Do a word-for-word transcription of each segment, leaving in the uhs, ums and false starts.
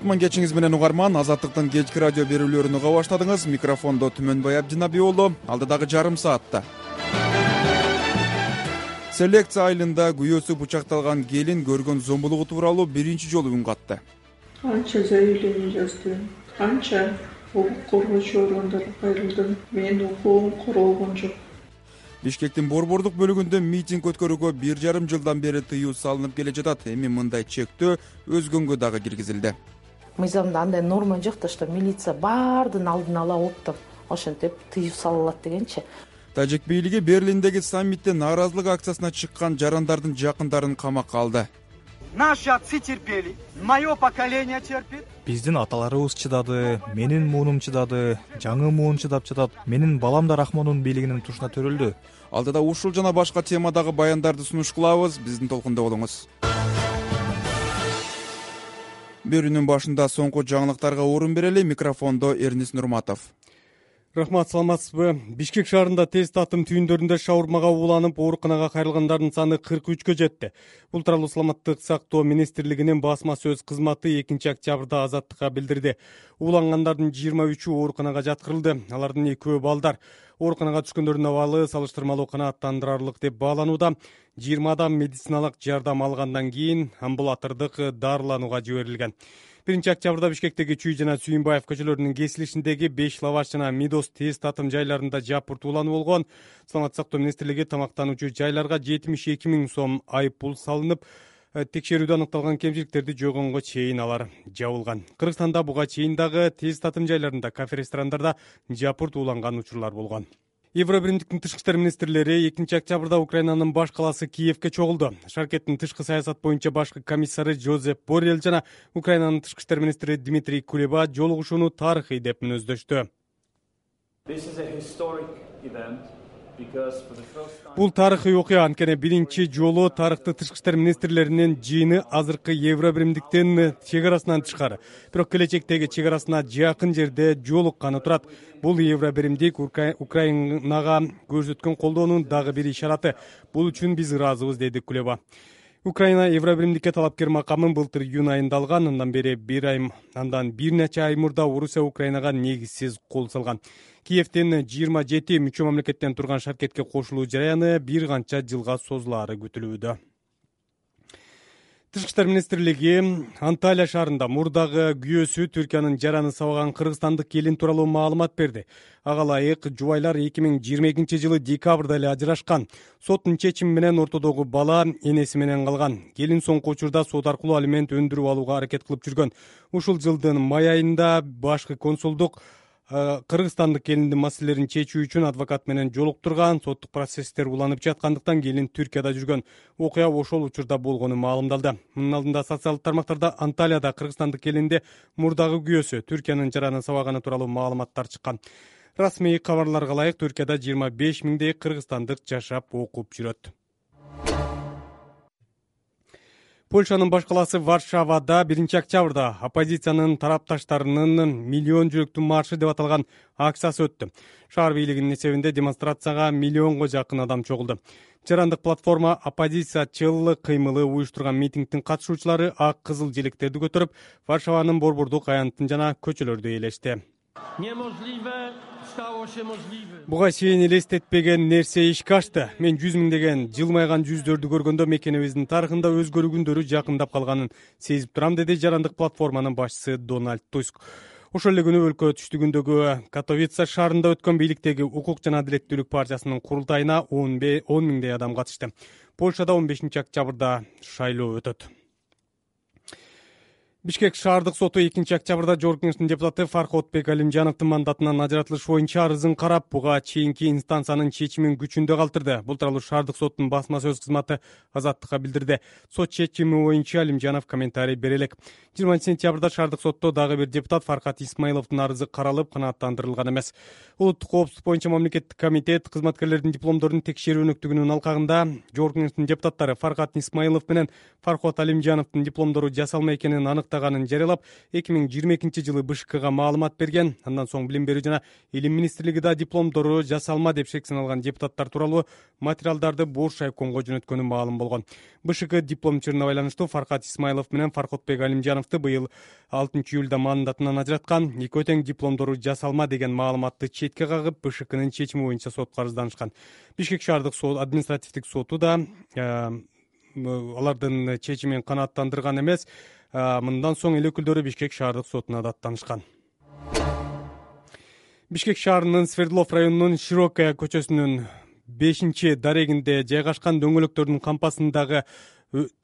кутман кечиңиз менен угарман. Азаттыктын кечки радио берүүлөрүн уга баштадыңыз. Микрофондо Түмөнбай Абдинаби уулу. Алдыдагы жарым саатта селекция айылында күйөөсү бычакталган келин көргөн зомбулугу тууралуу биринчи жолу үн катты. Канча заявление жаздым, канча укук коргоочу органдарга кайрылдым. Менин укугум корголгон жок. Бишкектин борбордук бөлүгүндө митинг өткөрүүгө бир жарым жылдан бери тыюу салынып келе жатат. Эми мындай чектөө өзгөнгө дагы киргизилди. Мыйзамда андай норма жок да, что милиция баардын алдын ала оптом ошентип тыюу салынат дегенчи. Тажик бийлиги Берлиндеги саммитте нааразылык акциясына чыккан жарандардын жакындарын камакка алды. Наши отцы терпели, мое поколение терпит. Биздин аталарыбыз чыдады, менин муунум чыдады, жаңы муун чыдап жатат. Менин балам да Рахмондун бийлигинин тушуна төрөлдү. Алдыда ушул жана башка темадагы баяндарды сунуш кылабыз. Биздин толкунда болуңуз. Берүүнүн башында соңку жаңылыктарга орун берели. Микрофондо Эрнис Нурматов. Рахмат, саламатсызбы? Бишкек шаарында тез татым түйүндөрүндө шаурмага ууланып, ооруканага кайрылгандардын саны кырк үчкө жетти. Бул тууралуу Саламаттык сактоо министрлигинин басма сөз кызматы экинчи октябрда Азаттыкка билдирди. Уулангандардын жыйырма үчү ооруканага жаткырылды. Алардын экөө балдар. Ооруканага түшкөндөрдүн абалы салыштырмалуу канааттандырарлык деп бааланууда. жыйырма адам медициналык жардам алгандан кийин амбулатордук дарыланууга жиберилген. биринчи октябрда Бишкектеги Чүй жана Сүйүнбаев көчөлөрүнүн кесилишиндеги беш лаваш жана Мидос тез татым жайларында жапырт уулануу болгон. Саламаттык сактоо министрлиги тамактануучу жайларга жетимиш эки миң сом айып пул салынып, текшерүүдө аныкталган кемчиликтерди жойгонго чейин алар жабылган. Кыргызстанда буга чейин дагы тез татым жайларында, кафе, ресторандарда жапырт ууланган учурлар болгон. Евробиримдиктин тышкы иштер министрлери экинчи октябрда Украинанын баш калаасы Киевке чогулду. Шаркеттин тышкы саясат боюнча башкы комиссары Жозеп Боррелл жана Украинанын тышкы иштер министри Дмитрий Кулеба жолугушууну тарыхый деп мүнөздөштү. Бул тарыхый окуя, анткени биринчи жолу тарыхты тышкы иштер министрлеринин жыйыны азыркы Евробиримдиктин чек арасынан тышкары, бирок келечектеги чек арасына жакын жерде жолукканы турат. Бул Евробиримдик Украинага көрсөткөн колдоонун дагы бир ишараты. Бул үчүн биз ыраазыбыз, деди Кулеба. Украина Евробиримдикке талапкер макамын былтыр июнь айында алган. Андан бери бир ай, андан бир нече ай мурда Орусия Украинага негизсиз кол салган. Киевден жыйырма жети мүчө мамлекеттен турган шаркетке кошулуу жараяны бир канча жылга созулаары күтүлүүдө. Тышкы иштер министрлиги Анталия шаарында мурдагы күйөөсү Түркиянын жараны сабаган кыргызстандык келин тууралуу маалымат берди. Ага ылайык жубайлар эки миң жыйырма экинчи жылы декабрда эле ажырашкан. Соттун чечими менен ортодогу бала энеси менен калган. Келин соңку учурда сот аркылуу алимент өндүрүп алууга аракет кылып жүргөн. Ушул жылдын май айында башкы консулдук кыргызстандык келиндин маселелерин чечүү үчүн адвокат менен жолуктурган. Соттук процесстер уланып жаткандыктан келин Түркияда жүргөн. Окуя ошол учурда болгону маалымдалды. Мунун алдында социалдык тармактарда Анталияда кыргызстандык келинде мурдагы күйөөсү Түркиянын жараны сабаганы тууралуу маалыматтар чыккан. Расмий кабарларга ылайык Түркияда жыйырма беш миңдей кыргызстандык жашап окуп жүрөт. Польшанын баш калаасы Варшавада биринчи октябрда оппозициянын тарапташтарынын миллион жүрөктүү маршы деп аталган акциясы өттү. Шаар бийлигинин эсебинде демонстрацияга миллионго жакын адам чогулду. Жарандык платформа оппозициячыл кыймылы уюштурган митингдин катышуучулары ак кызыл желектерди көтөрүп, Варшаванын борбордук аянтын жана көчөлөрдү ээлешти. Буга чейин элестетпеген нерсе ишке ашты. Мен жүз миңдеген жылмайган жүздөрдү көргөндө мекенибиздин тарыхында өзгөрүү күндөрү жакындап калганын сезип турам, деди жарандык платформанын башчысы Дональд Туск. Ошол эле күнү өлкө түштүгүндөгү Катовица шаарында өткөн бийликтеги Укук жана адилеттүүлүк партиясынын курултайына он миңдей адам катышты. Польшада он бешинчи октябрда шайлоо өтөт. Бишкек шаардык соту экинчи октябрда Жогорку Кеңештин депутаты Фарходбек Алимжановдун мандатынан ажыратылыш боюнча арызын карап, буга чейинки инстанциянын чечимин күчүндө калтырды. Бул тууралуу шаардык соттун басма сөз кызматы Азаттыкка билдирди. Сот чечими боюнча Алимжанов комментарий бере элек. жыйырманчы сентябрда шаардык сотто дагы бир депутат Фархат Исмаиловдун арызы каралып, канааттандырылган эмес. Улуттук коопсуздук боюнча мамлекеттик комитет кызматкерлердин дипломдорун текшерүү өнөктүгүнүн алкагында Жогорку Кеңештин депутаттары Фархат Исмаилов менен Фархат Алимжановдун дипломдору жасалма экенин аныктап баштаганын жарыялап, эки миң жыйырма экинчи жылы БШКга маалымат берген. Андан соң Билим берүү жана Илим министрлиги да дипломдору жасалма деп шек саналган депутаттар тууралуу материалдарды Бош райкомго жөнөткөнү маалым болгон. БШК дипломчуруна байланыштуу Фаркат Исмайлов менен Фаркотбек Алимжановду быйыл алтынчы июлда мандатынан ажыраткан. Экөө тең дипломдору жасалма деген маалыматты четке кагып, БШКнын чечими боюнча сотко арызданышкан. Бишкек шаардык сот административдик соту да алардын чечимин канааттандырган эмес. Мындан соң эл өкүлдөрү Бишкек шаардык сотуна да аттанышкан. Бишкек шаарынын Свердлов районунун Широкая көчөсүнүн бешинчи дарегинде жайгашкан дөңгөлөктөрдүн кампасындагы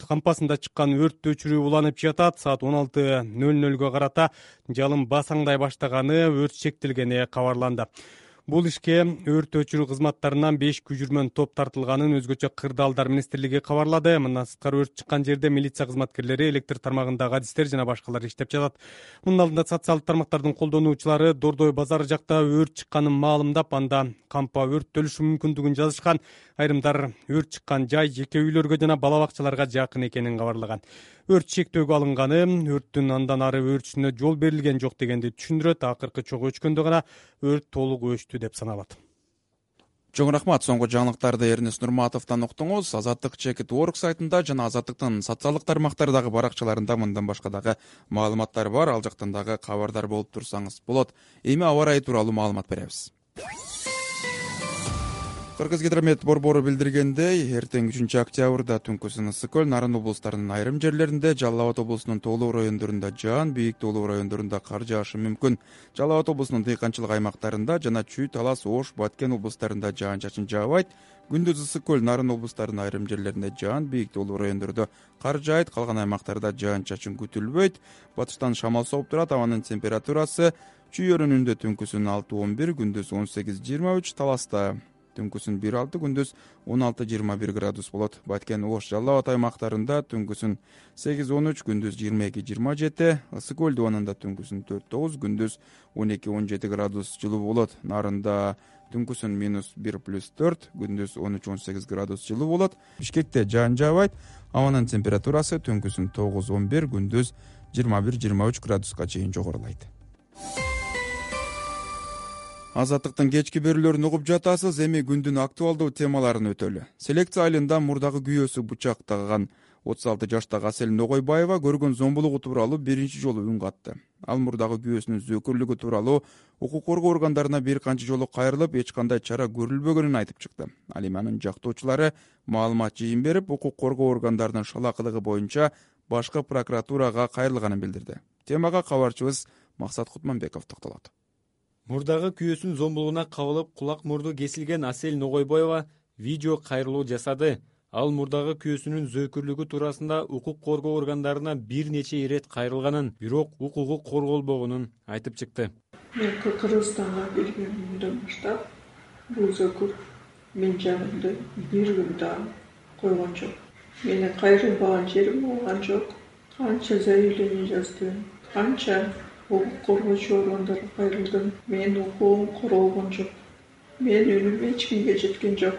кампасында чыккан өрттү өчүрүү уланып жатат. Саат он алты ноль нольго карата жалын басаңдай баштаганы, өрт чектелгени кабарланды. Бул ишке өрт өчүрүү кызматтарынан беш күжүрмөн топ тартылганын өзгөчө Кырдаалдар министрлиги кабарлады. Мындан сырткары өрт чыккан жерде милиция кызматкерлери, электр тармагындагы адистер жана башкалар иштеп жатат. Мунун алдында социалдык тармактардын колдонуучулары Дордой базары жакта өрт чыкканын маалымдап, анда кампа өрттөлүшү мүмкүндүгүн жазышкан. Айрымдар өрт чыккан жай жеке үйлөргө жана бала бакчаларга жакын экенин кабарлаган. Өрт чектөөгө алынганы, өрттүн андан ары өрчүшүнө жол берилген жок дегенди түшүндүрөт. Акыркы чогуу өчкөндө гана өрт толук өчтү деп саналат. Чоң рахмат. Соңку жаңылыктарды Эрнес Нурматовдон уктуңуз. Азаттык чекит точка орг сайтында жана Азаттыктын социалдык тармактардагы баракчаларында мындан башка дагы маалыматтар бар. Ал жактан дагы кабардар болуп турсаңыз болот. Эми аба ырайы тууралуу маалымат беребиз. Кыргызгидромет борбору билдиргендей, эртең үчүнчү октябрда түнкүсүн ысык көл, Нарын облустарынын айрым жерлеринде, Жалал Абад облусунун тоолуу райондорунда жаан, бийик тоолуу райондорунда кар жаашы мүмкүн. Жалал Абад облусунун дыйканчылык аймактарында жана Чүй, Талас, Ош, Баткен облустарында жаан-чачын жаабайт. Күндүз ысык көл, Нарын облустарынын айрым жерлеринде жаан, бийик тоолуу райондордо кар жаайт, калган аймактарда жаан-чачын күтүлбөйт. Батыштан шамал соғуп турат, абанын температурасы Чүй өрүнүндө түнкүсүн алты он бир, күндүз он сегиз жыйырма үч, Таласта түнкүсүн бир алты, күндүз он алты жыйырма бир градус болот. Баткен, Ош, Жалал Абад аймактарында түнкүсүн сегиз он үч, күндүз жыйырма эки жыйырма жети, ысык көл дубанында түнкүсүн төрт тогуз, күндүз он эки он жети градус жылуу болот. Нарында түнкүсүн минус бир плюс төрт, күндүз он үч он сегиз градус жылуу болот. Бишкекте жаан жаабайт, абанын температурасы түнкүсүн тогуз он бир, күндүз жыйырма бир жыйырма үч градуска чейин жогорулайт. Азаттыктын кечки берүүлөрүн угуп жатасыз. Эми күндүн актуалдуу темаларын өтөлү. Селекция айылында мурдагы күйөөсү бычак тагган отуз алты жаштагы Асель Ногойбаева көргөн зомбулугу тууралуу биринчи жолу үн катты. Ал мурдагы күйөөсүнүн зөөкүрлүгү тууралуу укук коргоо органдарына бир канча жолу кайрылып, эч кандай чара көрүлбөгөнүн айтып чыкты. Ал эми анын жактоочулары маалымат жыйын берип, укук коргоо органдарынын шалакылыгы боюнча башкы прокуратурага кайрылганын билдирди. Темага кабарчыбыз Максат Кутманбеков токтолот. Мурдагы күйөөсүнүн зомбулугуна кабылып, кулак мурду кесилген Асель Ногойбаева видео кайрылуу жасады. Ал мурдагы күйөөсүнүн зөөкүрлүгү туурасында укук коргоо органдарына бир нече ирет кайрылганын, бирок укугу корголбогонун айтып чыкты. Мен Кыргызстанга келгенимден баштап бул зөөкүр мен жанымды бир күн да койгон жок. Менин кайрылбаган жерим болгон жок. Канча заявление жаздым, канча укук коргоочу органдарга кайрылдым. Мен укугум корголгон жок. Мен үнүм эч кимге жеткен жок.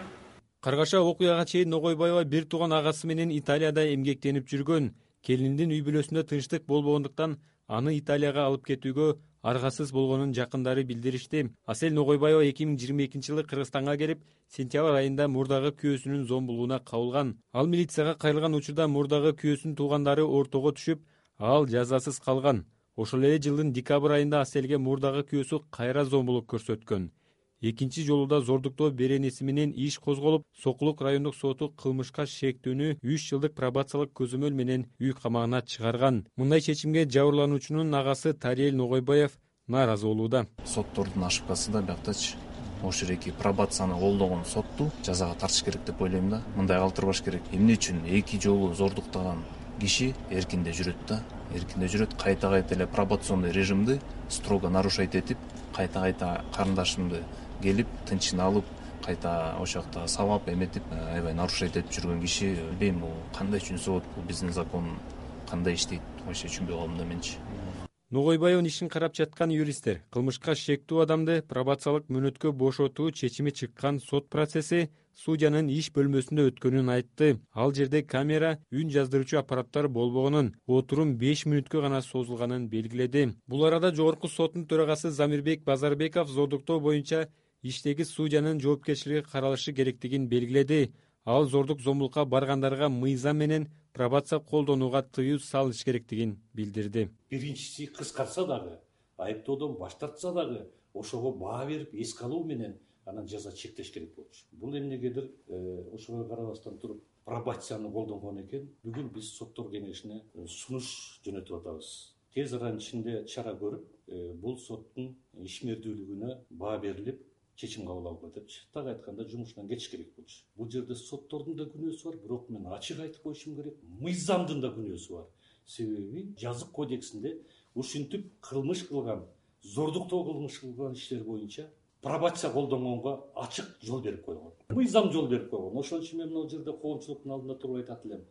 Каргаша окуяга чейин Ногойбаева бир тууган агасы менен Италияда эмгектенип жүргөн. Келиндин үй бүлөсүндө тынчтык болбогондуктан аны Италияга алып кетүүгө аргасыз болгонун жакындары билдиришти. Асель Ногойбаева эки миң жыйырма экинчи жылы Кыргызстанга келип, сентябрь айында мурдагы күйөөсүнүн зомбулугуна кабылган. Ал милицияга кайрылган учурда мурдагы күйөөсүнүн туугандары ортого түшүп, ал жазасыз калган. Ошол эле жылдын декабрь айында Аселге мурдагы күйөөсү кайра зомбулук көрсөткөн. Экинчи жолу да зордуктоо беренеси менен иш козголуп, Сокулук райондук соту кылмышка шектүүнү үч жылдык пробациялык көзөмөл менен үй камагына чыгарган. Мындай чечимге жабырлануучунун агасы Тариел Ногойбаев нааразы болууда. Соттордун ошибкасы да бияктачы. Ошол эки пробацияны колдогон сотту жазага тартыш керек деп ойлойм да. Мындай калтырбаш керек. Эмне үчүн эки жолу зордуктаган киши эркинде жүрөт да. Эркинде жүрөт, кайта-кайта эле пробационный режимди строго нарушать этип, кайта-кайта карындашымды келип, тынчын алып, кайта ошол жакта сабап эметип, аябай нарушать этип жүргөн киши, билбейм, бул кандай үчүн болот, бул биздин закон кандай иштейт, вообще түшүнбөй калдым да менчи. Ногойбаевдин ишин карап жаткан юристтер кылмышка шектүү адамды пробациялык мөөнөткө бошотуу чечими чыккан сот процесси судьянын иш бөлмөсүндө өткөнүн айтты. Ал жерде камера, үн жаздыруучу аппараттар болбогонун, отурум беш мүнөткө гана созулганын белгиледи. Бул арада жогорку соттун төрагасы Замирбек Базарбеков зордуктоо боюнча иштеги судьянын жоопкерчилиги каралышы керектигин белгиледи. Ал зордук зомбулукка баргандарга мыйзам менен пробация колдонууга тыюу салыш керектигин билдирди. Биринчиси кыскартса дагы, айыптоодон баш тартса дагы, ошого баа берип, эске алуу менен анан жаза чектеш керек болчу. Бул эмнегедир ошого карабастан туруп пробацияны колдонгон экен. Бүгүн биз соттор кеңешине сунуш жөнөтүп атабыз. Тез аранын ичинде чара көрүп, бул соттун ишмердүүлүгүнө баа берилип, чечим кабыл алгыла депчи. Так айтканда жумушунан кетиш керек болчу. Бул жерде соттордун да күнөөсү бар, бирок мен ачык айтып коюшум керек, мыйзамдын да күнөөсү бар. Себеби жазык кодексинде ушинтип кылмыш кылган, зордуктоо кылмыш кылган иштер боюнча пробация колдонгонго ачык жол берип койгон. Мыйзам жол берип койгон. Ошон үчүн мен бул жерде коомчулуктун алдында туруп айтат элем.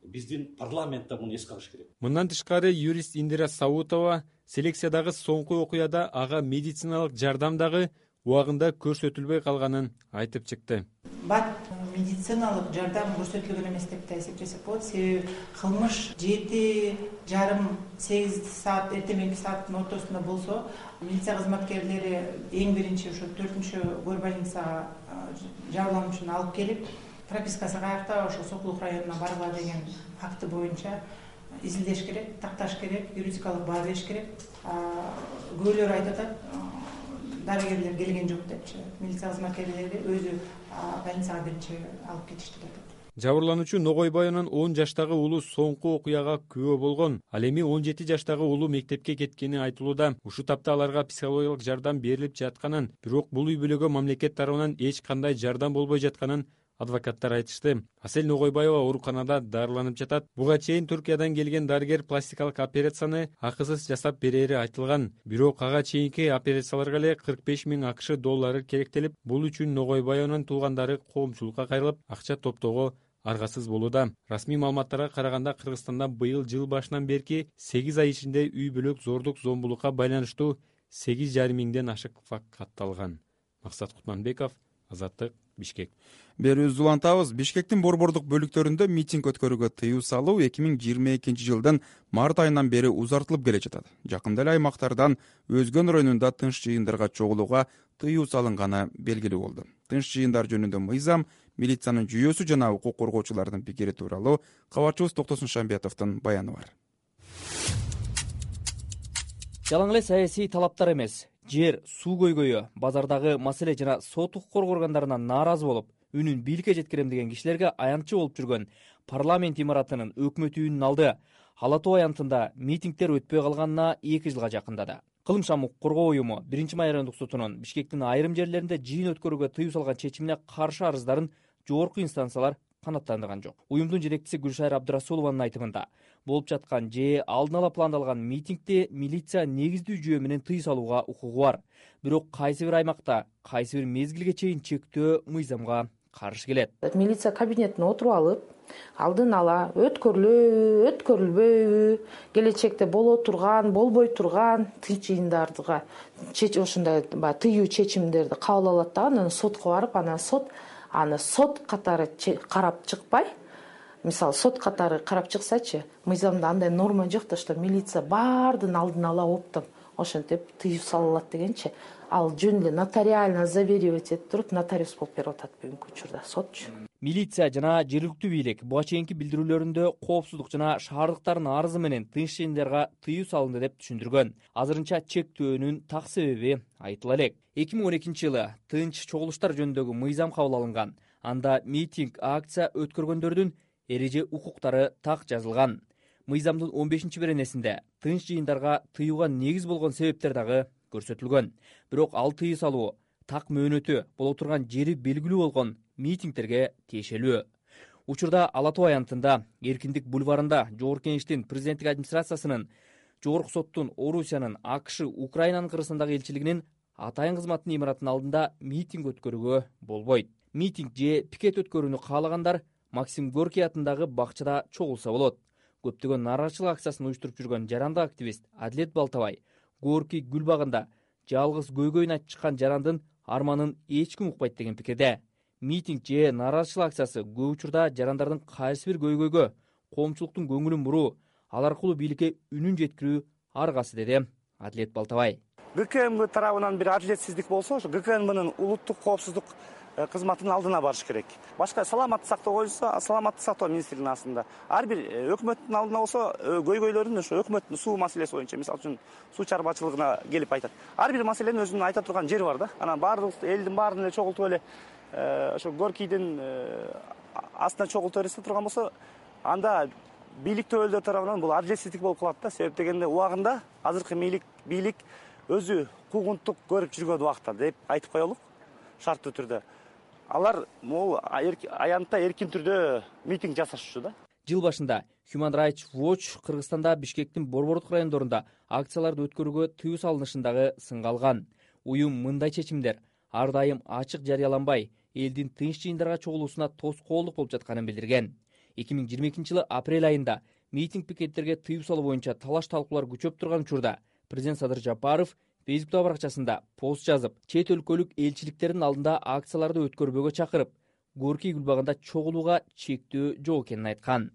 Биздин парламент да муну эске алыш керек. Мындан тышкары юрист Индира Саутова селекциядагы соңку окуяда ага медициналык жардам дагы убагында көрсөтүлбөй калганын айтып чыкты. Бат медициналык жардам көрсөтүлгөн эмес деп да эсептесек болот. Себеби кылмыш жети жарым сегиз саат эртең мененки сааттын ортосунда болсо, милиция кызматкерлери эң биринчи ошо төртүнчү горбольницага жабырлануучуну алып келип, пропискасы каякта, ошо Сокулук районуна баргыла деген факты боюнча изилдеш керек, такташ керек, юридикалык баа бериш керек. Көбөлөр айтып атат, дарыгерлер келген жок депчи. Милиция кызматкерлери өзү больницага биринчи алып кетишти деп атат. Жабырлануучу Ногойбаевдин он жаштагы уулу соңку окуяга күбө болгон. Ал эми он жети жаштагы уулу мектепке кеткени айтылууда. Ушул тапта аларга психологиялык жардам берилип жатканын, бирок бул үй бүлөгө мамлекет тарабынан эч кандай жардам болбой жатканын адвокаттар айтышты. Асель Ногойбаева ооруканада дарыланып жатат. Буга чейин Түркиядан келген дарыгер пластикалык операцияны акысыз жасап берери айтылган. Бирок ага чейинки операцияларга эле кырк беш миң АКШ доллары керектелип, бул үчүн Ногойбаевдин туугандары коомчулукка кайрылып, акча топтоого аргасыз болууда. Расмий маалыматтарга караганда Кыргызстанда быйыл жыл башынан берки сегиз ай ичинде үй бүлөк зордук зомбулукка байланыштуу сегиз жарым миңден ашык факт катталган. Максат Кутманбеков, Азаттык, Бишкек. Берүүбүздү улантабыз. Бишкектин борбордук бөлүктөрүндө митинг өткөрүүгө тыюу салуу эки миң жыйырма экинчи жылдын март айынан бери узартылып келе жатат. Жакында эле аймактардан өзгөн районунда тынч жыйындарга чогулууга тыюу салынганы белгилүү болду. Тынч жыйындар жөнүндө мыйзам, милициянын жүйөсү жана укук коргоочулардын пикири тууралуу кабарчыбыз Токтосун Шамбетовдун баяны бар. Жалаң эле саясий талаптар эмес, жер, суу көйгөйү, базардагы маселе жана сот укук органдарынан нааразы болуп, үнүн бийликке жеткирем деген кишилерге аянтчы болуп жүргөн парламент имаратынын өкмөт үйүнүн алды Ала Тоо аянтында митингдер өтпөй калганына эки жылга жакындады. Кылмыштан укук коргоо уюму биринчи май райондук сотунун Бишкектин айрым жерлеринде жыйын өткөрүүгө тыюу салган чечимине каршы арыздарын жогорку инстанциялар канаттандырган жок. Уюмдун жетекчиси Гүлшайыр Абдырасулованын айтымында, болуп жаткан же алдын ала пландалган митингде милиция негиздүү жүйө менен тыюу салууга укугу бар. Бирок кайсы бир аймакта, кайсы бир мезгилге чейин чектөө мыйзамга каршы келет. Милиция кабинетине отуруп алып, алдын ала өткөрүлөбү, өткөрүлбөйбү, келечекте боло турган, болбой турган тынч жыйындардыга ошондой тыюу чечимдерди кабыл алат да, анан сотко барып, анан сот аны сот катары карап чыкпай, мисалы сот катары карап чыксачы, мыйзамда андай норма жок да, что милиция баардын алдын ала оптом ошентип тыюу салынат дегенчи. Ал жөн эле нотариально заверивать этип туруп, нотариус болуп берип атат бүгүнкү учурда сотчу. Милиция жана жергиликтүү бийлик буга чейинки билдирүүлөрүндө коопсуздук жана шаардыктардын арызы менен тынч жыйындарга тыюу салынды деп түшүндүргөн. Азырынча чектөөнүн так себеби айтыла элек. эки миң он экинчи жылы тынч чогулуштар жөнүндөгү мыйзам кабыл алынган. Анда митинг, акция өткөргөндөрдүн эреже укуктары так жазылган. Мыйзамдын он бешинчи беренесинде тынч жыйындарга тыюуга негиз болгон себептер дагы көрсөтүлгөн. Бирок ал тыюу салуу так мөөнөтү боло турган жери белгилүү болгон митингдерге тиешелүү. Учурда Ала Тоо аянтында, Эркиндик бульварында Жогорку Кеңештин президенттик администрациясынын, Жогорку соттун Орусиянын, АКШ, Украинанын Кыргызстандагы элчилигинин атайын кызматтын имаратынын алдында митинг өткөрүүгө болбойт. Митинг же пикет өткөрүүнү каалагандар Максим Горький атындагы бакчада чогулса болот. көптөгөн нааразычылык акциясын уюштуруп жүргөн жарандык активист Адилет Балтабай Горький гүл багында жалгыз көйгөйүн айтып чыккан жарандын арманын эч ким укпайт деген пикирде. Митинг же нааразычылык акциясы көп учурда жарандардын кайсы бир көйгөйгө коомчулуктун көңүлүн буруу, ал аркылуу бийликке үнүн жеткирүү аргасы, деди Адилет Балтабай. ГКМБ тарабынан бир адилетсиздик болсо, ошо ГКМБнын улуттук коопсуздук кызматынын алдына барыш керек. Башка саламаттык сактоо боюнча саламаттык сактоо министрлигинин астында. Ар бир өкмөттүн алдына болсо көйгөйлөрүн ошо өкмөттүн суу маселеси боюнча, мисалы үчүн суу чарбачылыгына келип айтат. Ар бир маселенин өзүнүн айта турган жери бар да. Анан баардык элдин баарын эле чогултуп эле ошо Горькийдин астына чогултуп берсе турган болсо, анда бийлик төбөлдөр тарабынан бул адилетсиздик болуп калат да. Себеп дегенде убагында азыркы бийлик өзү куугунттук көрүп жүргөн убакта деп айтып коелук, шарттуу түрдө. Алар могу аянтта эркин түрдө митинг жасашчу да. Жыл башында Human Rights Watch Кыргызстанда Бишкектин Борбордук райондорунда акцияларды өткөрүүгө тыюу салынышындагы сынга алган. Уюм мындай чечимдер ар дайым ачык жарыяланбай, элдин тынч жыйындарга чогулуусуна тоскоолдук болуп жатканын билдирген. эки миң жыйырма экинчи жылы апрель айында митинг пикеттерге тыюу салуу боюнча талаш талкуулар күчөп турган учурда президент Садыр Жапаров Фейсбуктагы баракчасында пост жазып, чет өлкөлүк элчиликтердин алдында акцияларды өткөрбөөгө чакырып, Горький гүл багында чогулууга чектөө жок экенин айткан.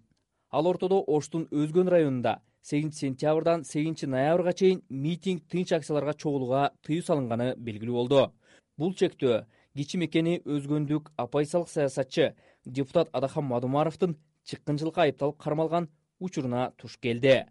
Ал ортодо Оштун Өзгөн районунда сегизинчи сентябрдан сегизинчи ноябрга чейин митинг, тынч акцияларга чогулууга тыюу салынганы белгилүү болду. Бул чектөө кичи мекени Өзгөндүк оппозициялык саясатчы депутат Адахан Мадумаровдун чыккынчылыкка айыпталып кармалган учуруна туш келди.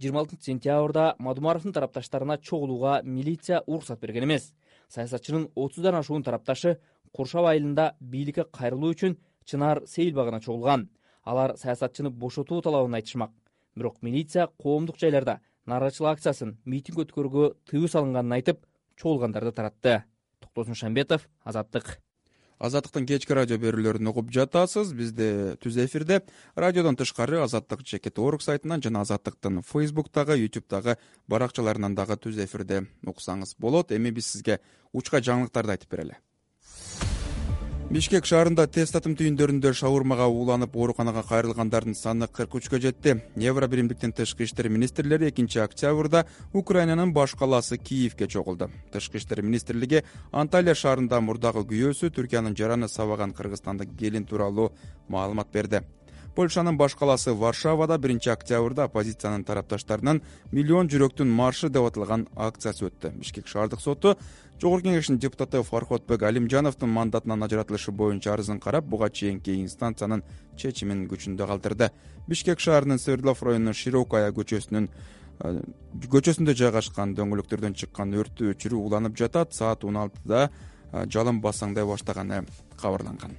жыйырма алтынчы сентябрда Мадумаровдун тарапташтарына чогулууга милиция уруксат берген эмес. Саясатчынын отуздан ашуун тарапташы Куршап айылында бийликке кайрылуу үчүн Чынар Сейил багына чогулган. Алар саясатчыны бошотуу талабын айтышмак. Бирок милиция коомдук жайларда нааразычылык акциясын, митинг өткөрүүгө тыюу салынганын айтып, чогулгандарды таратты. Токтосун Шамбетов, Азаттык. Азаттыктын кечки радио берүүлөрүн угуп жатасыз. Бизде түз эфирде радиодон тышкары Азаттык чекит орг сайтынан жана Азаттыктын Фейсбуктагы, ютубтагы баракчаларынан дагы түз эфирде уксаңыз болот. Эми биз сизге учка жаңылыктарды айтып берели. Бишкек шаарында тест татым түйүндөрүндө шаурмага ууланып ооруканага кайрылгандардын саны кырк үчкө жетти. Евро биримдиктин тышкы иштер министрлери экинчи октябрда Украинанын баш калаасы Киевге чогулду. Тышкы иштер министрлиги Анталия шаарында мурдагы күйөөсү Түркиянын жараны сабаган кыргызстандык келин тууралуу маалымат берди. Польшанын баш калаасы Варшавада биринчи октябрда оппозициянын тарапташтарынын миллион жүрөктүн маршы деп аталган акциясы өттү. Бишкек шаардык соту Жогорку Кеңештин депутаты Фархотбек Алимжановдун мандатынан ажыратылышы боюнча арызын карап, буга чейинки инстанциянын чечимин күчүндө калтырды. Бишкек шаарынын Свердлов районунун Широкая көчөсүнүн көчөсүндө жайгашкан дөңгөлөктөрдөн чыккан өрттү өчүрүү уланып жатат. Саат он алтыда жалын басаңдай баштаганы кабарланган.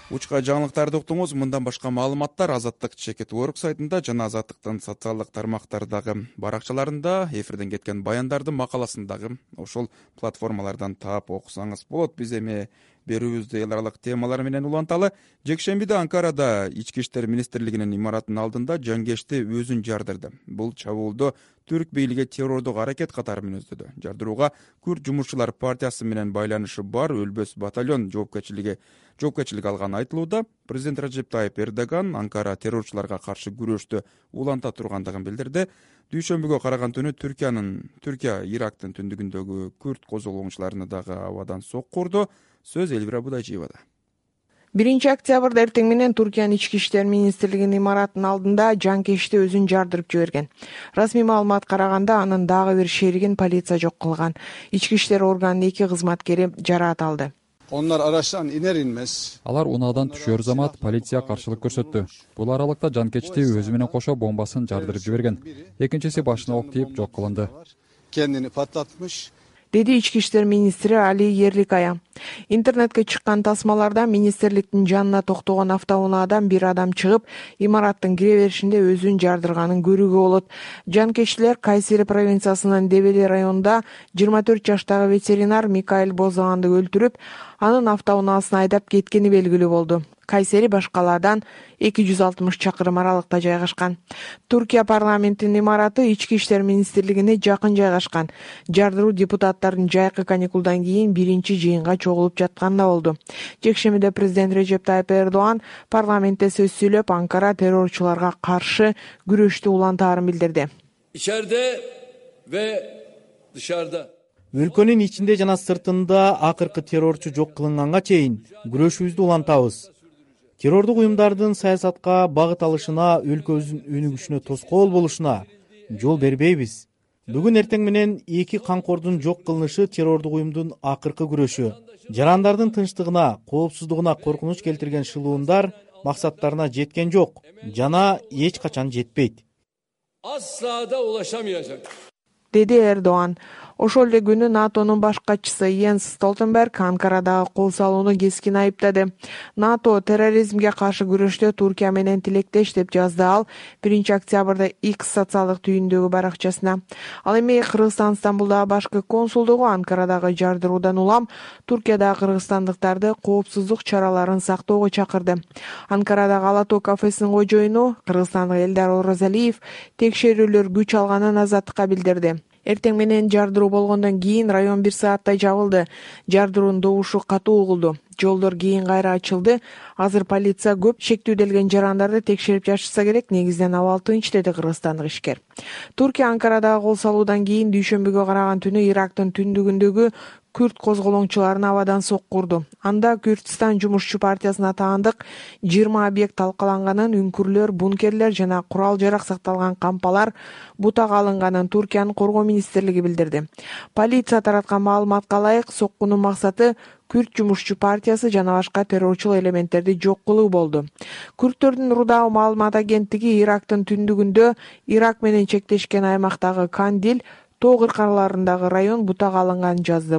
Учка жаңылыктарды уктуңуз. Мындан башка маалыматтар Азаттык чекит орг сайтында жана Азаттыктын социалдык тармактардагы баракчаларында, эфирден кеткен баяндардын макаласындагы ошол платформалардан таап окусаңыз болот. Биз эми берүүбүздү эл аралык темалар менен уланталы. Жекшембиде Анкарада Ички иштер министрлигинин имаратынын алдында жангешти өзүн жардырды. Бул чабуулду түрк бийлиги террордук аракет катары мүнөздөдү. Жардырууга Күрд жумушчулар партиясы менен байланышы бар Өлбөс батальон жоопкерчилиги жоопкерчилик алганы айтылууда. Президент Режеп Тайып Эрдоган Анкара террорчуларга каршы күрөштү уланта тургандыгын билдирди. Дүйшөмбүгө караган түнү Түркиянын Түркия Ирактын түндүгүндөгү Күрд козголоңчуларына дагы абадан сокку урду. Сөз Элвира Будайжиевада. биринчи октябрда эртең менен Туркиянын ички иштер министрлигинин имаратынын алдында жанкешти өзүн жардырып жиберген. Расмий маалыматка караганда анын дагы бир шеригин полиция жок кылган. Ички иштер органынын эки кызматкери жараат алды. Onlar araçtan iner inmez. Алар унаадан түшөр замат полиция каршылык көрсөттү. Бул аралыкта жанкечти өзү менен кошо бомбасын жардырып жиберген. Экинчиси башына ок тийип жок кылынды. Kendini patlatmış. Деди ички иштер министри Али Ерликая. Интернетке чыккан тасмаларда министрликтин жанына токтогон автоунаадан бир адам чыгып, имараттын кире беришинде өзүн жардырганын көрүүгө болот. Жанкечтилер Кайсери провинциясынын Девели районунда жыйырма төрт жаштагы ветеринар Микаэль Бозоганды өлтүрүп, анын автоунаасына айдап кеткени белгилүү болду. Кайсери башкалардан эки жүз алтымыш чакырым аралыкта жайгашкан. Туркия парламентинин имараты Ички иштер министрлигине жакын жайгашкан. Жардыруу депутаттардын жайкы каникулдан кийин биринчи жыйынга чогулуп жатканда болду. Жекшемиде президент Режеп Тайып Эрдоган парламентте сөз сүйлөп, Анкара террорчуларга каршы күрөштү улантаарын билдирди. İçeride ve dışarıda. Өлкөнүн ичинде жана сыртында акыркы террорчу жок кылынганга чейин күрөшүбүздү улантабыз. Террордук уюмдардын саясатка багыт алышына, өлкөбүздүн өнүгүшүнө тоскоол болушуна жол бербейбиз. Бүгүн эртең менен эки камкордун жок кылынышы террордук уюмдун акыркы күрөшү. Жарандардын тынчтыгына, коопсуздугуна коркунуч келтирген шылуундар максаттарына жеткен жок жана эч качан жетпейт. Asla da ulaşamayacak. Деди Эрдоган. Ошол эле күнү НАТОнун баш катчысы Йенс Столтенберг Анкарадагы кол салууну кескин айыптады. НАТО терроризмге каршы күрөштө Туркия менен тилектеш деп жазды ал биринчи октябрда X социалдык түйүндөгү баракчасына. Ал эми Кыргызстан Стамбулдагы башкы консулдугу Анкарадагы жардыруудан улам Туркиядагы кыргызстандыктарды коопсуздук чараларын сактоого чакырды. Анкарадагы Ала Тоо кафесинин кожоюну кыргызстандык Элдар Оразалиев текшерүүлөр күч алганын азаттыкка билдирди. Эртең менен жардыруу болгондон кийин район бир сааттай жабылды. Жардыруунун добушу катуу угулду. Жолдор кийин кайра ачылды. Азыр полиция көп шектүүделген жарандарды текшерип жатышса керек, негизинен абал тынч, деди кыргызстандык ишкер. Туркия Анкарадагы кол салуудан кийин дүйшөмбүгө караган түнү Ирактын түндүгүндөгү Күрт козголоңчуларын абадан соккурду. Анда Күрдстан жумушчу партиясына таандык жыйырма объект талкаланганын, үңкүрлөр, бункерлер жана курал-жарак сакталган кампалар бутага алынганын Туркиянын коргоо министрлиги билдирди. Полиция тараткан маалыматка ылайык, соккунун максаты Күрт жумушчу партиясы жана башка террорчул элементтерди жок кылуу болду. Күрттөрдүн Рудау маалымат агенттиги Ирактын түндүгүндө Ирак менен чектешкен аймактагы Кандил тоо кыркаларындагы район бутага алынганын жазды.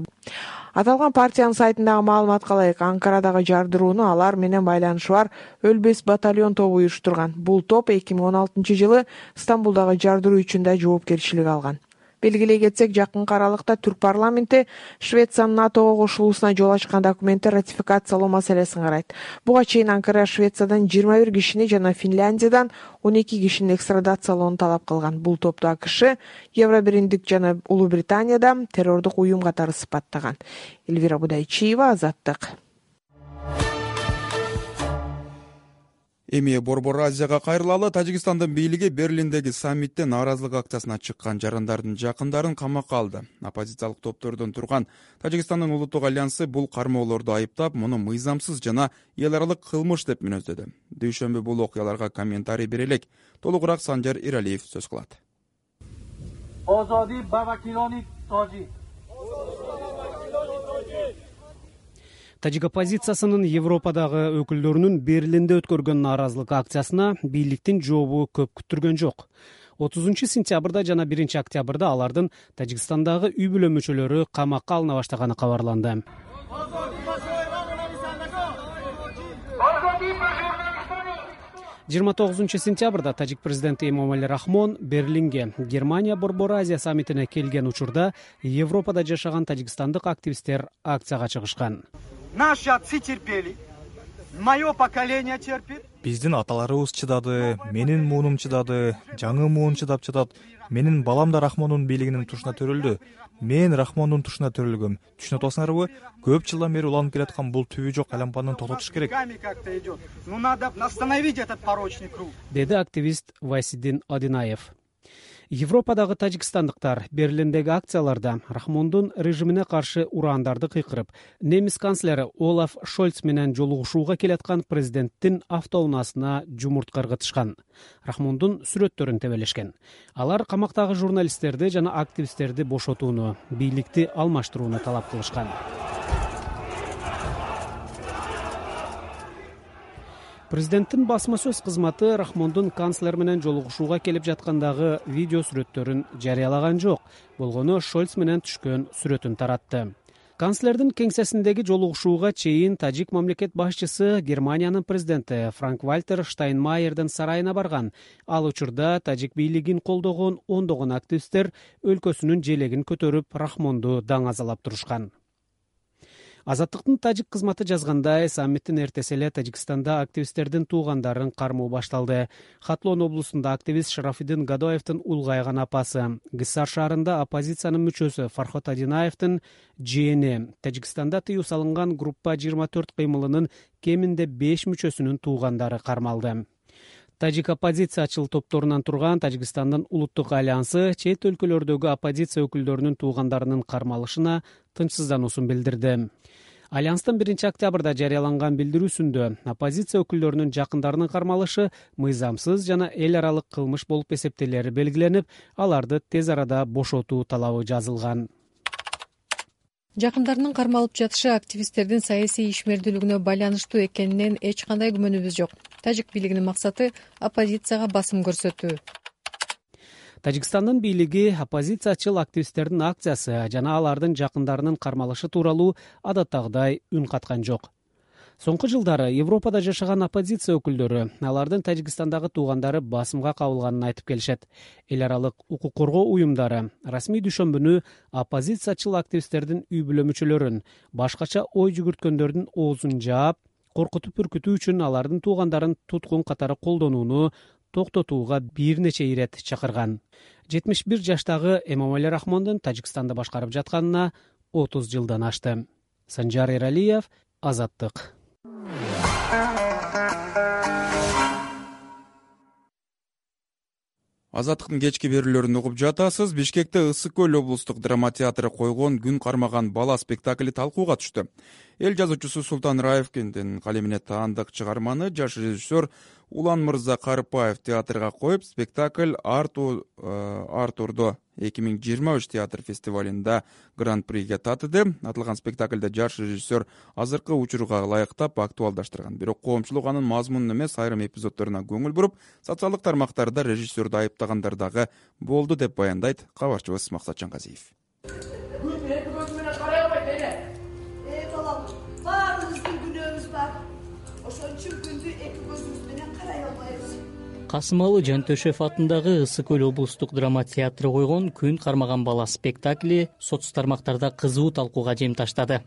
Аталган партиянын сайтындагы маалыматка ылайык, Анкарадагы жардырууну алар менен байланышы бар Өлбес батальон тобу уюштурган. Бул топ эки миң он алтынчы жылы Стамбулдагы жардыруу үчүн да жоопкерчилик алган. Белгилей кетсек, жакынкы аралыкта Түрк парламенти Швециянын НАТОго кошулуусуна жол ачкан документти ратификациялоо маселесин карайт. Буга чейин Анкара Швециядан жыйырма бир кишини жана Финляндиядан он эки кишини экстрадациялоону талап кылган. Бул топту АКШ, Евробиримдик жана Улуу Британияда террордук уюм катары сыпаттаган. Эльвира Будайчиева, Азаттык. Эми Борбор Азияга кайрылалы. Тажикстандын бийлиги Берлиндеги саммитте нааразылык акциясына чыккан жарандардын жакындарын камакка алды. Оппозициялык топтордон турган Тажикстандын Улуттук альянсы бул кармоолорду айыптап, муну мыйзамсыз жана эл аралык кылмыш деп мүнөздөдү. Дүйшөмбү бул окуяларга комментарий бере элек. Толугураак Санжар Иралиев сөз кылат. Озоди ба вакилони Тожик. Тажик оппозициясынын Европадагы өкүлдөрүнүн Берлинде өткөргөн нааразылык акциясына бийликтин жообу көп күттүргөн жок. отузунчу сентябрда жана биринчи октябрда алардын Тажикстандагы үй бүлө мүчөлөрү камакка алына баштаганы кабарланды. жыйырма тогузунчу сентябрда тажик президенти Эмомали Рахмон Берлинге Германия Борбор Азия саммитине келген учурда Европада жашаган тажикстандык активисттер акцияга чыгышкан. Наши отцы терпели, мое поколение терпит. Биздин аталарыбыз чыдады, менин муунум чыдады, жаңы муун чыдап жатат. Менин балам да Рахмондун бийлигинин тушуна төрөлдү. Мен Рахмондун тушуна төрөлгөм. Түшүнүп атасыңарбы? Көп жылдан бери уланып келаткан бул түбү жок айлампаны тототуш керек. Ну надо остановить этот порочный круг. Деди активист Вайсиддин Адинаев. Европадагы тажикстандыктар Берлиндеги акцияларда Рахмондун режимине каршы урандарды кыйкырып, немис канцлери Олаф Шольц менен жолугушууга келаткан президенттин автоунаасына жумуртка ыргытышкан. Рахмондун сүрөттөрүн тебелешкен. Алар камактагы журналисттерди жана активисттерди бошотууну, бийликти алмаштырууну талап кылышкан. Президенттин басма сөз кызматы Рахмондун канцлер менен жолугушууга келип жаткандагы видео сүрөттөрүн жарыялаган жок. Болгону Шольц менен түшкөн сүрөтүн таратты. Канцлердин кеңсесиндеги жолугушууга чейин тажик мамлекет башчысы Германиянын президенти Франк-Вальтер Штайнмайердин сарайына барган. Ал учурда тажик бийлигин колдогон ондогон активисттер өлкөсүнүн желегин көтөрүп Рахмонду даңазалап турушкан. Азаттыктын тажик кызматы жазгандай, саммиттин эртеси эле Тажикстанда активисттердин туугандарын кармоо башталды. Хатлон облусунда активист Шарафиддин Гадоевдин улгайган апасы, Гыссар шаарында оппозициянын мүчөсү Фархот Адинаевдин жээни, Тажикстанда тыюу салынган группа жыйырма төрт кыймылынын кеминде беш мүчөсүнүн туугандары кармалды. Тажик оппозициячыл топторунан турган Тажикстандын улуттук альянсы чет өлкөлөрдөгү оппозиция өкүлдөрүнүн туугандарынын кармалышына тынчсыздануусун билдирди. Альянстын биринчи октябрда жарыяланган билдирүүсүндө оппозиция өкүлдөрүнүн жакындарынын кармалышы мыйзамсыз жана эл аралык кылмыш болуп эсептелери белгиленип, аларды тез арада бошотуу талабы жазылган. Жакындарынын кармалып жатышы активисттердин саясий ишмердүүлүгүнө байланыштуу экенинен эч кандай күмөнүбүз жок. Тажик бийлигинин максаты оппозицияга басым көрсөтүү. Тажикстандын бийлиги оппозициячыл активисттердин акциясы жана алардын жакындарынын кармалышы тууралуу адаттагыдай үн каткан жок. Соңку жылдары Европада жашаган оппозиция өкүлдөрү алардын Тажикстандагы туугандары басымга кабылганын айтып келишет. Эл аралык укук коргоо уюмдары расмий дүйшөмбүнү оппозициячыл активисттердин үй бүлө мүчөлөрүн, башкача ой жүгүрткөндөрдүн оозун жаап, коркутуп үркүтүү үчүн алардын туугандарын туткун катары колдонууну токтотууга бир нече ирет чакырган. жетимиш бир жаштагы Эмомали Рахмондун Тажикстанды башкарып жатканына отуз жылдан ашты. Санжар Эралиев, Азаттык. Азаттыктын кечки берүүлөрүн угуп жатасыз. Бишкекте Ысык көл облустук драма театры койгон Күн кармаган бала спектакли талкууга түштү. Эл жазуучусу Султан Раевкиндин калемине таандык чыгарманы жаш режиссер Улан Мырза Карыпаев театрга коюп, спектакль Артурдо эки миң жыйырма үч театр фестивалында гран-приге татыды. Атылган спектакльде жаш режиссер азыркы учурга ылайыктап актуалдаштырган. Бирок коомчулук анын мазмунун эмес, айрым эпизоддоруна көңүл буруп, социалдык тармактарда режиссерду айыптагандар дагы болду деп баяндайт кабарчыбыз Максат Жангазиев. Касымалы Жантөшев атындагы Ысык көл облустук драма театры койгон Күн кармаган бала спектакли соц тармактарда кызуу талкууга жем таштады.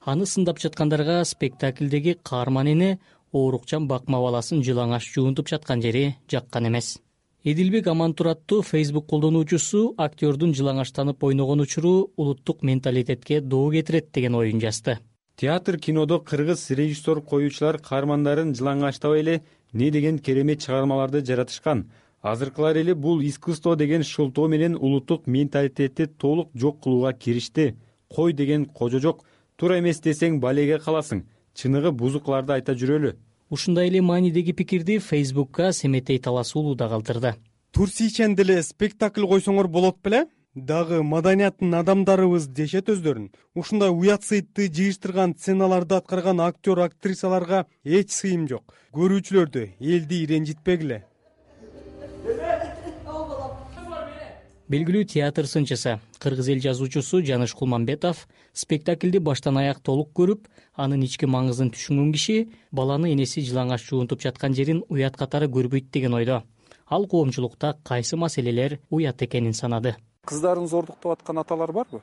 Аны сындап жаткандарга спектаклдеги каарман эне оорукчан бакма баласын жылаңаш жуунтуп жаткан жери жаккан эмес. Эдилбек Амантур аттуу Facebook колдонуучусу актёрдун жылаңаштанып ойногон учуру улуттук менталитетке доо кетирет деген оюн жазды. Театр кинодо кыргыз режиссер коюучулар каармандарын жылаңаштабай эле не деген керемет чыгармаларды жаратышкан. Азыркылар эле бул искусство деген шылтоо менен улуттук менталитетти толук жок кылууга киришти. Кой деген кожо жок, туура эмес десең балеге каласың. Чыныгы бузукларды айта жүрөлү. Ушундай эле маанидеги пикирди Facebook'ка Семетей Таласуулу да калтырды. Турсийчен деле спектакль койсоңор болот беле? Дагы маданияттын адамдарыбыз дешет өздөрүн. Ушундай уят сыйтты жыйыштырган сценаларды аткарган актер актрисаларга эч сыйым жок. Көрүүчүлөрдү элди ренжитпегиле. Белгилүү театр сынчысы, кыргыз эл жазуучусу Жаныш Кулманбетов спектаклди баштан аяк толук көрүп, анын ички маңызын түшүнгөн киши баланы энеси жылаңаш жуунтуп жаткан жерин уят катары көрбөйт деген ойдо. Ал коомчулукта кайсы маселелер уят экенин санады. Кыздарын зордуктап аткан аталар барбы?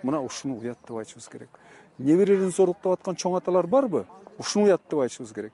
Мына ушуну уят деп айтышыбыз керек. Неберелерин зордуктап аткан чоң аталар барбы? Ушуну уят деп айтышыбыз керек.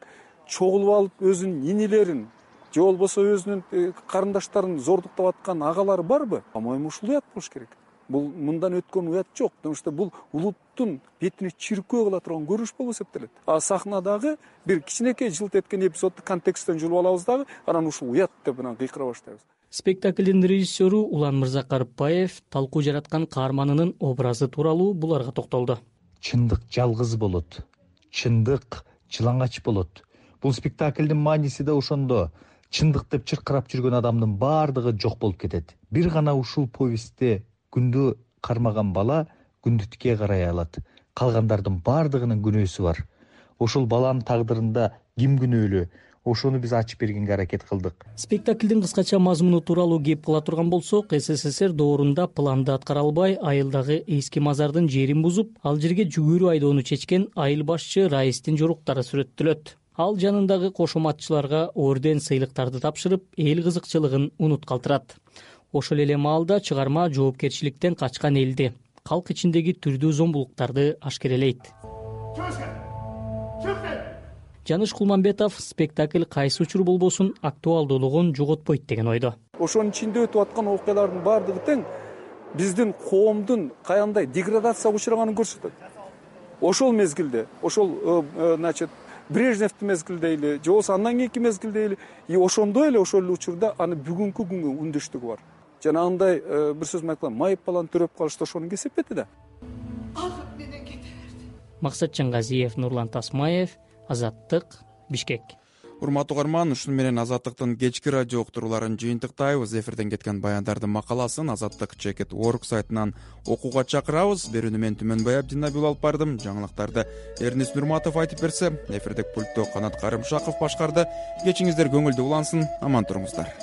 Чогулуп алып өзүнүн нинелерин же болбосо өзүнүн карындаштарын зордуктап аткан агалары барбы? По-моему, ушул уят болуш керек. Бул мындан өткөн уят жок. Потому что бул улуттун бетине чиркөө кыла турган көрүнүш болуп эсептелет. А сахнадагы бир кичинекей жылт эткен эпизодду контексттен жулуп алабыз дагы, анан ушул уят деп анан кыйкыра баштайбыз. Спектаклдин режиссеру Улан Мырза Карыпаев талкуу жараткан каарманынын образы тууралуу буларга токтолду. Чындык жалгыз болот. Чындык жылаңач болот. Бул спектаклдин мааниси да ошондо. Чындык деп чыркырап жүргөн адамдын баардыгы жок болуп кетет. Бир гана ушул повестте күндү кармаган бала күндүткө карай алат. Калгандардын баардыгынын күнөөсү бар. Ошол баланын тагдырында ким күнөөлүү? Ошону биз ачып бергенге аракет кылдык. Спектаклдин кыскача мазмуну тууралуу кеп кыла турган болсок, СССР доорунда планды аткара албай, айылдагы эски мазардын жерин бузуп, ал жерге жүгүрү айдоону чечкен айыл башчы Раистин жоруктары сүрөттөлөт. Ал жанындагы кошоматчыларга орден сыйлыктарды тапшырып, эл кызыкчылыгын унут калтырат. Ошол эле маалда чыгарма жоопкерчиликтен качкан элди, калк ичиндеги түрдүү зомбулуктарды ашкерелейт. жаныш кулманбетов спектакль кайсы учур болбосун актуалдуулугун жоготпойт деген ойдо. Ошонун ичинде өтүп аткан окуялардын баардыгы тең биздин коомдун каяандай деградацияга учраганын көрсөтөт. Ошол мезгилде, ошол значит Брежневдин мезгилде эле, же болбосо андан кийинки мезгилде эле, и ошондой эле ошол эле учурда аны бүгүнкү күнгө үндөштүгү бар. Жанагындай бир сөз менен айтканда майып баланы төрөп калышты ошонун кесепети да. Алып менен кете берди. Максат Чангазиев, Нурлан Тасмаев, Азаттык, Бишкек. Урматтуу угарман, ушуну менен Азаттыктын кечки радио уктурууларын жыйынтыктайбыз. Эфирден кеткен баяндардын макаласын Азаттык чекит точка орг сайтынан окууга чакырабыз. Берүүнү мен Түмөнбай Абдинабил алып бардым. Жаңылыктарды Эрнис Нурматов айтып берсе, эфирдик пультту Канат Карымшаков башкарды. Кечиңиздер көңүлдүү улансын, аман туруңуздар.